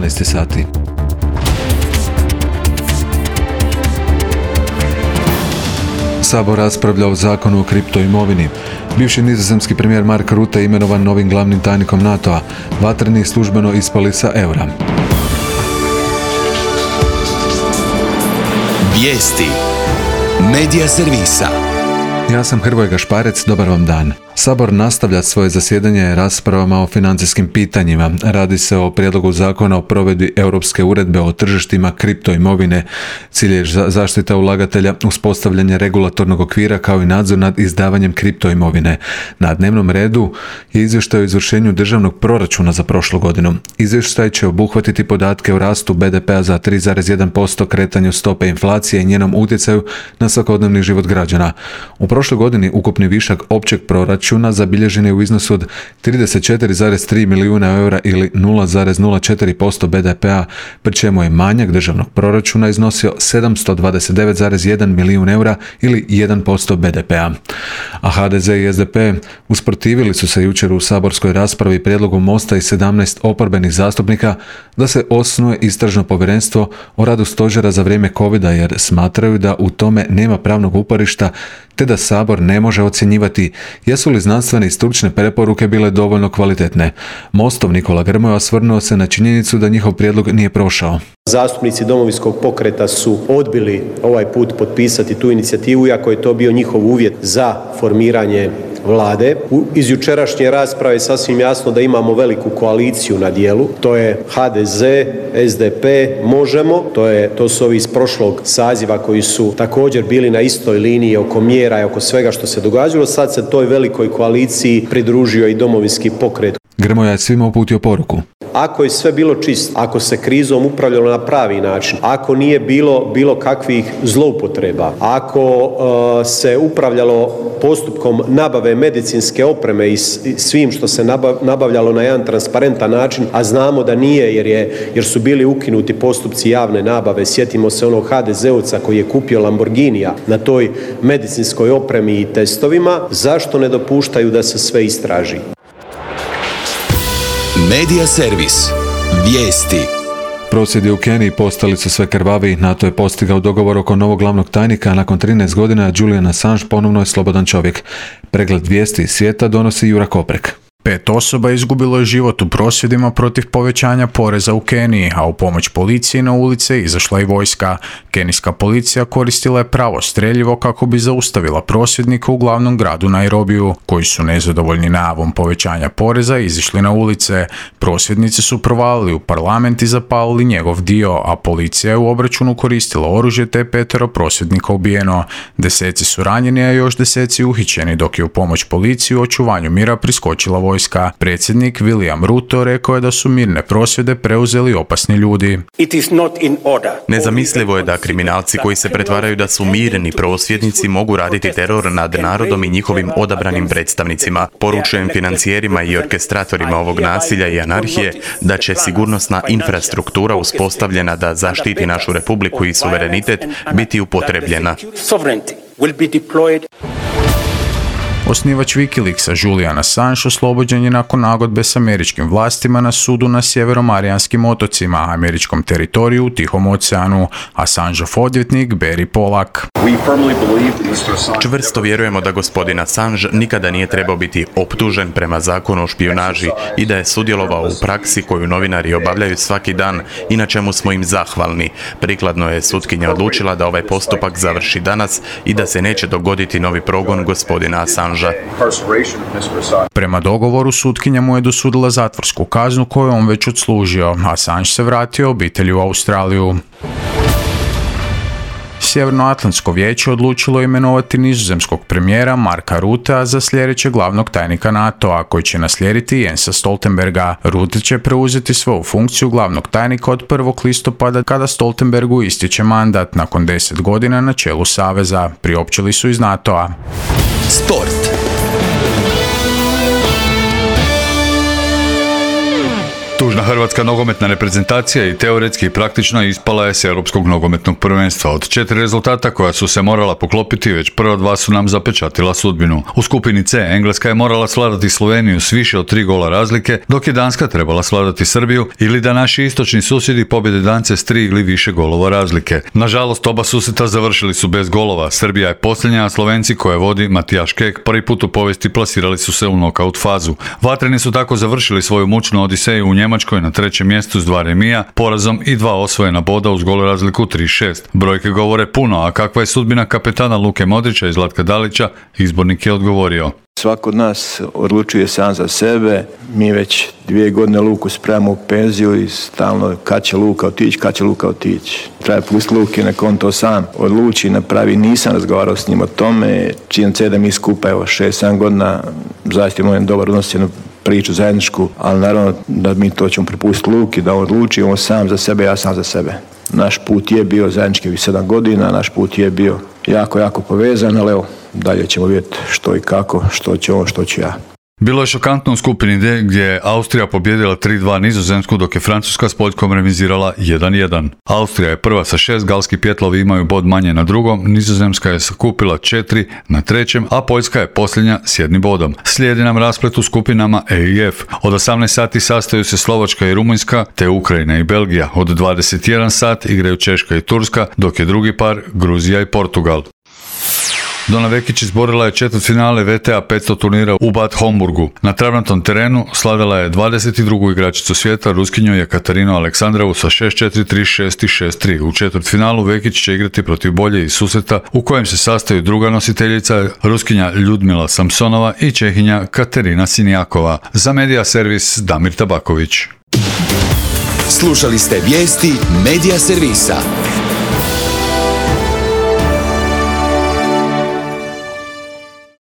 12 sati. Sabor raspravlja o zakonu o kriptoimovini. Bivši nizozemski premijer Mark Rutte imenovan novim glavnim tajnikom NATO-a. Vatreni službeno ispali sa eura. Vijesti Medija servisa. Ja sam Hrvoje Gašparec, dobar vam dan. Sabor nastavlja svoje zasjedanje raspravama o financijskim pitanjima. Radi se o prijedlogu zakona o provedbi Europske uredbe o tržištima kriptoimovine. Cilj je zaštita ulagatelja, uspostavljanje regulatornog okvira kao i nadzor nad izdavanjem kriptoimovine. Na dnevnom redu je izvještaj o izvršenju državnog proračuna za prošlu godinu. Izvještaj će obuhvatiti podatke o rastu BDP-a za 3,1%, kretanju stope inflacije i njenom utjecaju na svakodnevni život građana. U prošloj godini ukupni višak općeg proračuna zabilježen je u iznosu od 34,3 milijuna eura ili 0,04% BDP-a, pri čemu je manjak državnog proračuna iznosio 729,1 milijun eura ili 1% BDP-a. A HDZ i SDP usprotivili su se jučer u saborskoj raspravi prijedlogu Mosta i 17 oporbenih zastupnika da se osnuje istražno povjerenstvo o radu stožera za vrijeme covida jer smatraju da u tome nema pravnog uporišta te da Sabor ne može ocjenjivati jesu li znanstvene i stručne preporuke bile dovoljno kvalitetne. Mostov Nikola Grmoja osvrnuo se na činjenicu da njihov prijedlog nije prošao. Zastupnici Domovinskog pokreta su odbili ovaj put potpisati tu inicijativu, iako je to bio njihov uvjet za formiranje Vlade. Iz jučerašnje rasprave je sasvim jasno da imamo veliku koaliciju na dijelu. To je HDZ, SDP, Možemo. To su ovi iz prošlog saziva koji su također bili na istoj liniji oko mjera i oko svega što se događalo. Sad se toj velikoj koaliciji pridružio i Domovinski pokret. Grmoja je svima uputio poruku. Ako je sve bilo čisto, ako se krizom upravljalo na pravi način, ako nije bilo kakvih zloupotreba, ako se upravljalo postupkom nabave medicinske opreme i svim što se nabavljalo na jedan transparentan način, a znamo da nije jer su bili ukinuti postupci javne nabave. Sjetimo se onog HDZ-ovca koji je kupio Lamborghinija na toj medicinskoj opremi i testovima. Zašto ne dopuštaju da se sve istraži? Medija servis. Vijesti. Prosvjedi u Keniji postali su sve krvaviji. NATO je postigao dogovor oko novog glavnog tajnika, a nakon 13 godina Julian Assange ponovno je slobodan čovjek. Pregled vijesti iz svijeta donosi Jura Koprek. 5 osoba izgubilo je život u prosvjedima protiv povećanja poreza u Keniji, a u pomoć policiji na ulice izašla i vojska. Kenijska policija koristila je pravo streljivo kako bi zaustavila prosvjednike u glavnom gradu Nairobiju, koji su nezadovoljni najavom povećanja poreza izišli na ulice. Prosvjednici su provalili u parlament i zapalili njegov dio, a policija je u obračunu koristila oružje te je 5 prosvjednika ubijeno. Deseci su ranjeni, a još deseci uhićeni, dok je u pomoć policiji u očuvanju mira priskočila vojska. Predsjednik William Ruto rekao je da su mirne prosvjede preuzeli opasni ljudi. Nezamislivo je da kriminalci koji se pretvaraju da su mirni prosvjednici mogu raditi teror nad narodom i njihovim odabranim predstavnicima. Poručujem financijerima i orkestratorima ovog nasilja i anarhije da će sigurnosna infrastruktura uspostavljena da zaštiti našu republiku i suverenitet biti upotrebljena. Osnivač Wikileaksa Julian Assange oslobođen je nakon nagodbe s američkim vlastima na sudu na Sjeveromarijanskim otocima, američkom teritoriju u Tihom oceanu. Assangeov odvjetnik Barry Pollack. Čvrsto vjerujemo da gospodin Assange nikada nije trebao biti optužen prema zakonu o špijunaži i da je sudjelovao u praksi koju novinari obavljaju svaki dan i na čemu smo im zahvalni. Prikladno je sutkinja odlučila da ovaj postupak završi danas i da se neće dogoditi novi progon gospodina Assange. Prema dogovoru sutkinja mu je dosudila zatvorsku kaznu koju on već odslužio. Assange se vratio obitelji u Australiju. Sjevernoatlantsko vijeće odlučilo imenovati nizozemskog premijera Marka Ruttea za sljedećeg glavnog tajnika NATO-a, koji će naslijediti Jensa Stoltenberga. Rutte će preuzeti svoju funkciju glavnog tajnika od 1. listopada kada Stoltenbergu ističe mandat nakon 10 godina na čelu saveza, priopćili su iz NATO-a. Sport. Tužna Hrvatska nogometna reprezentacija i teoretski i praktično ispala je s Europskog nogometnog prvenstva. Od 4 rezultata koja su se morala poklopiti, već prva 2 su nam zapečatila sudbinu. U skupini C Engleska je morala svladati Sloveniju s više od 3 gola razlike, dok je Danska trebala svladati Srbiju ili da naši istočni susjedi pobjede Dance s 3 ili više golova razlike. Nažalost, oba susreta završili su bez golova. Srbija je posljednja, a Slovenci koje vodi Matijaš Kek prvi put u povijesti plasirali su se u nokaut fazu. Vatreni su tako završili svoju mučnu odiseju u Njemačkoj na 3. mjestu s 2 remija, porazom i 2 osvojena boda uz gol razliku 3-6. Brojke govore puno, a kakva je sudbina kapetana Luke Modrića i Zlatka Dalića, izbornik je odgovorio. Svako od nas odlučuje sam za sebe, mi već 2 godine Luku spremamo u penziju i stalno kad će Luka otići. Treba pustiti Luki, nek on to sam odluči, napravi. Nisam razgovarao s njim o tome, činjenica je da mi skupa 6-7 godina zaista imamo jedan dobar odnos, jednu priču zajedničku, ali naravno da mi to ćemo prepustiti Luki, da on odluči, on sam za sebe, ja sam za sebe. Naš put je bio zajednički 7 godina, naš put je bio jako povezan, ali evo, dalje ćemo vidjeti što i kako, što će on, što ću ja. Bilo je šokantno u skupini D gdje je Austrija pobjedila 3-2 Nizozemsku, dok je Francuska s Poljskom remizirala 1-1. Austrija je prva sa 6, galski pjetlovi imaju bod manje na drugom, Nizozemska je sakupila 4 na 3, a Poljska je posljednja s 1 bodom. Slijedi nam rasplet u skupinama E i F. Od 18 sati sastaju se Slovačka i Rumunjska, te Ukrajina i Belgija. Od 21 sat igraju Češka i Turska, dok je drugi par Gruzija i Portugal. Dona Vekić izborila je četvrtfinale VTA 500 turnira u Bad Homburgu. Na travnatom terenu slavila je 22. igračicu svijeta, Ruskinju Jekaterinu Aleksandrovu sa 6-4, 3-6 i 6-3. U četvrtfinalu Vekić će igrati protiv Bolje iz susreta u kojem se sastaju druga nositeljica, Ruskinja Ljudmila Samsonova i Čehinja Katerina Sinjakova. Za Medija servis Damir Tabaković. Slušali ste vijesti Medija servisa.